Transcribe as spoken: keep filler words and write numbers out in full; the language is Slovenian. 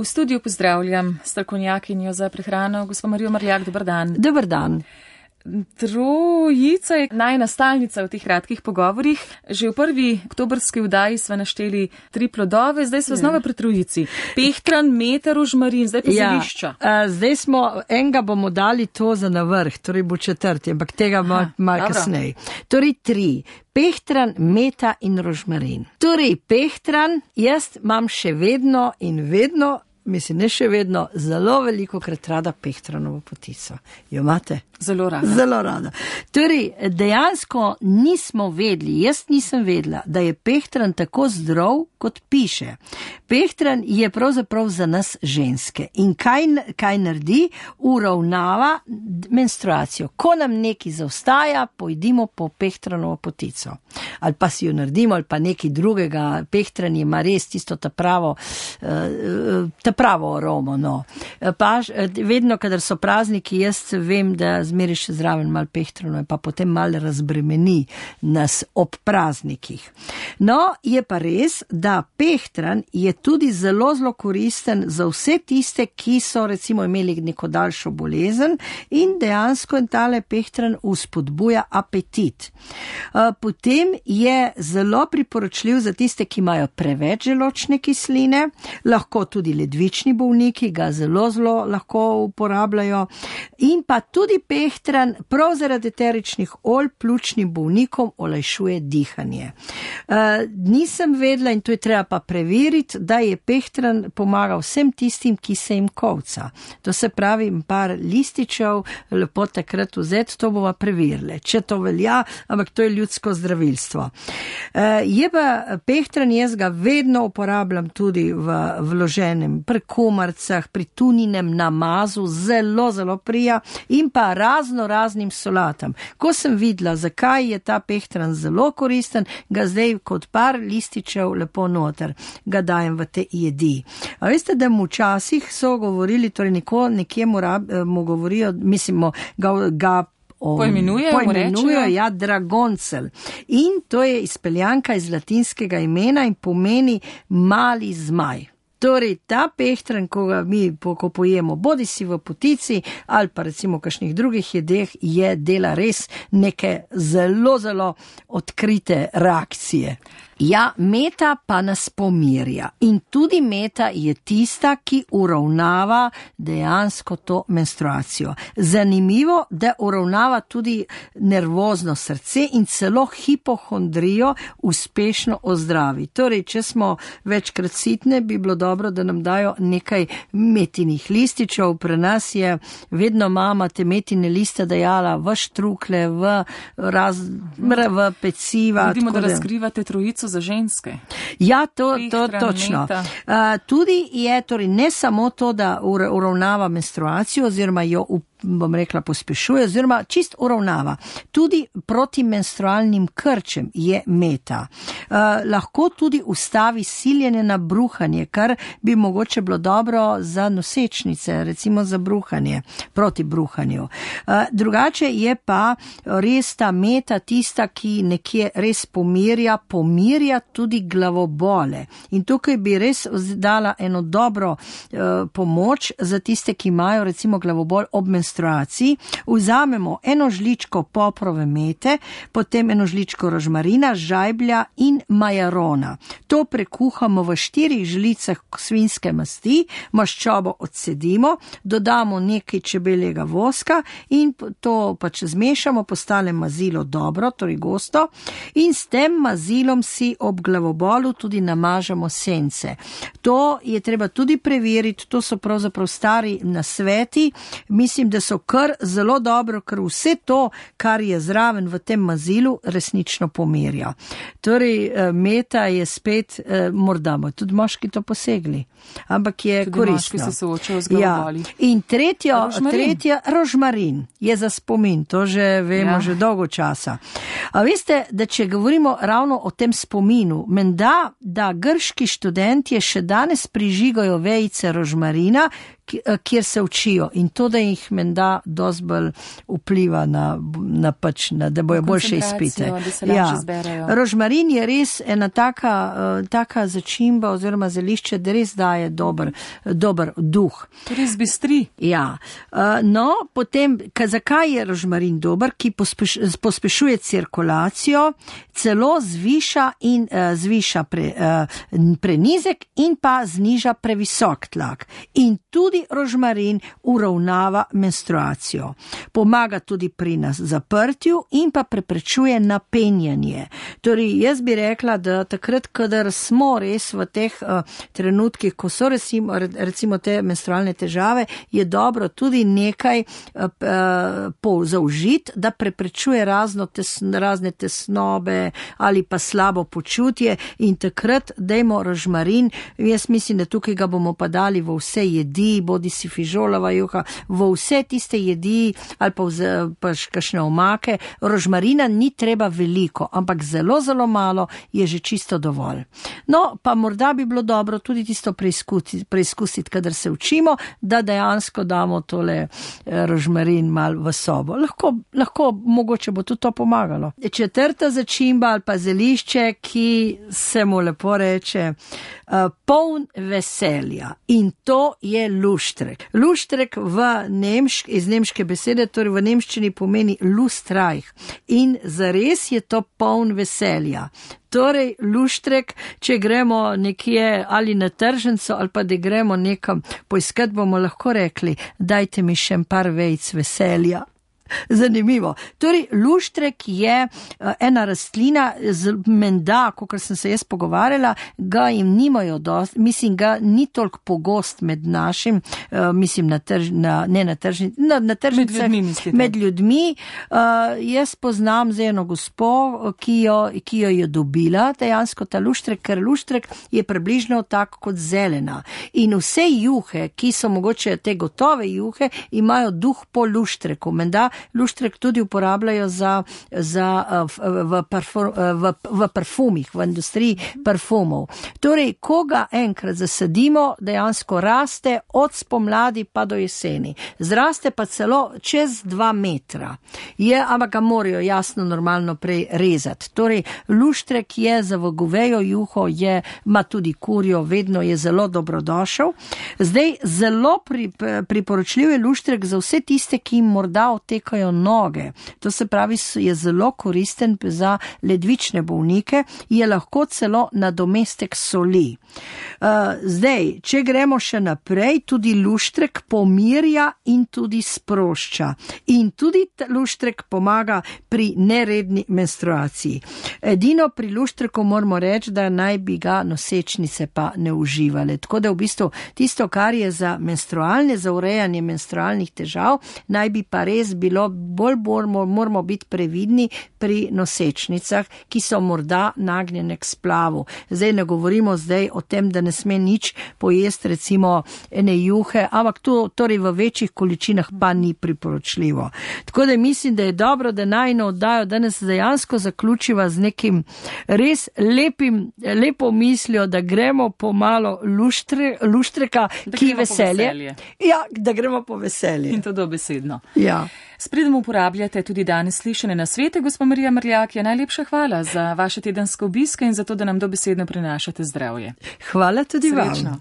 V studiu pozdravljam strokovnjakinjo za prehrano, gospo Marijo Marljak, dober dan. Dober dan. Trojica je najina stalnica v teh kratkih pogovorih. Že v prvi oktobrski vdaji sva našteli tri plodove, zdaj sva znova pri trojici. Pehtran, meta, rožmarin, zdaj pa ja, zelišča. Zdaj smo, enega bomo dali to za navrh, torej bo četrti, ampak tega malo mal kasneje. Torej tri. Pehtran, meta in rožmarin. Torej, pehtran, jaz imam še vedno in vedno, mislim, ne še vedno, zelo veliko krat rada pehtranovo potico. Jo imate? Zelo rada. Zelo rada. Torej, dejansko nismo vedeli, jaz nisem vedela, da je pehtran tako zdrav, kot piše. Pehtran je pravzaprav za nas ženske. In kaj, kaj naredi? Uravnava menstruacijo. Ko nam neki zaostaja, pojdimo po pehtranovo potico. Ali pa si jo naredimo, ali pa nekaj drugega. Pehtran ima res tisto ta pravo, ta pravo aromo, no. Pa vedno, kadar so prazniki, jaz vem, da zmeri še zraven malo pehtrano, pa potem malo razbremeni nas ob praznikih. No, je pa res, da pehtran je tudi zelo, zelo koristen za vse tiste, ki so recimo imeli neko daljšo bolezen in dejansko tale pehtran uspodbuja apetit. Potem je zelo priporočljiv za tiste, ki imajo preveč želodčne kisline, lahko tudi ledvični bolniki ga zelo, zelo lahko uporabljajo in pa tudi pehtran prav zaradi eteričnih olj pljučnim bolnikom olajšuje dihanje. Uh, nisem vedela in to je treba pa preveriti, da je pehtran pomaga vsem tistim, ki se jim kolca. To se pravi, par lističev, lepo takrat vzeti, to bova preverili. Če to velja, ampak to je ljudsko zdravilstvo. Uh, je pa pehtran, jaz ga vedno uporabljam tudi v vloženem pri komarcah, pri tuninem namazu, zelo, zelo prija in pa razno raznim solatam. Ko sem videla, zakaj je ta pehtran zelo koristen, ga zdaj kot par lističev lepo noter, ga dajem v te jedi. A veste, da mu včasih so govorili, torej neko, nekje mu, rab, mu govorijo, mislimo, ga, ga Pojmenujejo, pojmenujejo, ja, dragoncel. In to je izpeljanka iz latinskega imena in pomeni mali zmaj. Torej, ta pehtran, ko ga mi ko pojemo, bodi si v potici ali pa recimo v kakšnih drugih jedeh, je dela res neke zelo, zelo odkrite reakcije. Ja, meta pa nas pomirja in tudi meta je tista, ki uravnava dejansko to menstruacijo. Zanimivo, da uravnava tudi nervozno srce in celo hipohondrijo uspešno ozdravi. Torej, če smo večkrat sitne, bi bilo dobro, da nam dajo nekaj metinih lističev. Pri nas je vedno mama te metine liste dajala v štrukle, v, raz, v peciva. Vidimo, da razkrivate trojico za ženske. Ja, to, to točno. Uh, tudi je torej ne samo to, da uravnava menstruacijo oziroma jo up bom rekla, pospešuje, oziroma čist uravnava. Tudi proti menstrualnim krčem je meta. Uh, lahko tudi ustavi siljenje na bruhanje, kar bi mogoče bilo dobro za nosečnice, recimo za bruhanje, proti bruhanju. Uh, drugače je pa res ta meta tista, ki nekje res pomirja, pomirja tudi glavobole. In tukaj bi res dala eno dobro uh, pomoč za tiste, ki imajo recimo glavobol ob menstruaciji. Vzamemo eno žličko poprove mete, potem eno žličko rožmarina, žajblja in majarona. To prekuhamo v štirih žlicah svinjske masti, maščobo odcedimo, dodamo nekaj čebeljega voska in to pač zmešamo, postane mazilo dobro, torej gosto, in s tem mazilom si ob glavobolu tudi namažemo sence. To je treba tudi preveriti, to so pravzaprav stari nasveti, mislim, da so kar zelo dobro, ker vse to, kar je zraven v tem mazilu, resnično pomirja. Torej, meta je spet, morda bo tudi moški to posegli, ampak je tudi koristno. Moški se soočajo z glavoboli. Ja. In tretjo, rožmarin. tretja, rožmarin je za spomin, to že vemo, ja. že dolgo časa. A veste, da če govorimo ravno o tem spominu, menda, da grški študentje še danes prižigajo vejice rožmarina, kjer se učijo in to, da jih menda dosti bolj vpliva na, na pač, na, da bojo boljše izpite. Ja. Rožmarin je res ena taka, uh, taka začimba oziroma zelišče, da res daje dober, dober duh. To res bistri. Ja. Uh, no, potem, ka, zakaj je rožmarin dober, ki pospeš, pospešuje cirkulacijo, celo zviša in uh, zviša pre, uh, prenizek in pa zniža previsok tlak. In tudi rožmarin uravnava menstruacijo. Pomaga tudi pri nas zaprtju in pa preprečuje napenjanje. Torej, jaz bi rekla, da takrat, kadar smo res v teh uh, trenutkih, ko so recimo, recimo te menstrualne težave, je dobro tudi nekaj uh, uh, zaužiti, da preprečuje razno tesn, razne tesnobe ali pa slabo počutje in takrat dajmo rožmarin. Jaz mislim, da tukaj ga bomo pa dali v vse jedi, bodi si fižolova juha, v vse tiste jedi ali pa, vze, pa kakšne omake. Rožmarina ni treba veliko, ampak zelo, zelo malo je že čisto dovolj. No, pa morda bi bilo dobro tudi tisto preizkusiti, preizkusiti kadar se učimo, da dejansko damo tole rožmarin mal v sobo. Lahko, lahko mogoče bo tudi to pomagalo. Četrta začimba ali pa zelišče, ki se mu lepo reče uh, poln veselja in to je luštrek. Luštrek v nemšk, iz nemške besede, torej v nemščini pomeni lustreich in zares je to poln veselja. Torej, luštrek, če gremo nekje ali na tržnico ali pa da gremo nekam poiskat, bomo lahko rekli, dajte mi še par vejc veselja. Zanimivo. Torej, luštrek je uh, ena rastlina, z, menda, kot sem se jaz pogovarjala, ga jim nimajo dost, mislim, ga ni toliko pogost med našim, uh, mislim, na trž, na, ne na tržnicah, na, na tržnicah, med ljudmi. Med ljudmi. Uh, jaz poznam z eno gospo, ki jo, ki jo je dobila, dejansko ta luštrek, ker luštrek je približno tak kot zelena. In vse juhe, ki so mogoče te gotove juhe, imajo duh po luštreku. Menda luštrek tudi uporabljajo za, za, v, v, parfum, v, v parfumih, v industriji parfumov. Torej, ko ga enkrat zasadimo, dejansko raste od spomladi pa do jeseni. Zraste pa celo čez dva metra. Je, ampak ga morajo jasno normalno prej rezati. Torej, luštrek je za v govejo juho, je, ima tudi kurjo, vedno je zelo dobrodošel. Zdaj, zelo pri, priporočljiv je luštrek za vse tiste, ki jim morda otekajo noge. To se pravi, je zelo koristen za ledvične bolnike, je lahko celo nadomestek soli. Uh, zdaj, če gremo še naprej, tudi luštrek pomirja in tudi sprošča. In tudi luštrek pomaga pri neredni menstruaciji. Edino pri luštreku moramo reči, da naj bi ga nosečnice pa ne uživale. Tako da v bistvu tisto, kar je za menstrualne, za urejanje menstrualnih težav, naj bi pa res bilo bolj moramo, moramo biti previdni pri nosečnicah, ki so morda nagnjene k splavu. Zdaj ne govorimo zdaj o tem, da ne sme nič pojesti, recimo ene juhe, ampak to torej v večjih količinah pa ni priporočljivo. Tako da mislim, da je dobro, da najno oddajo danes dejansko zaključiva z nekim res lepim, lepo mislijo, da gremo po malo luštre, luštreka, da ki veselje. veselje. Ja, da gremo po veselje. In to dobesedno. Ja. S pridom uporabljate tudi danes slišane nasvete, gospa Marija Mrljak, je najlepša hvala za vaše tedenske obiske in za to, da nam dobesedno prinašate zdravje. Hvala tudi Srečno. Vam.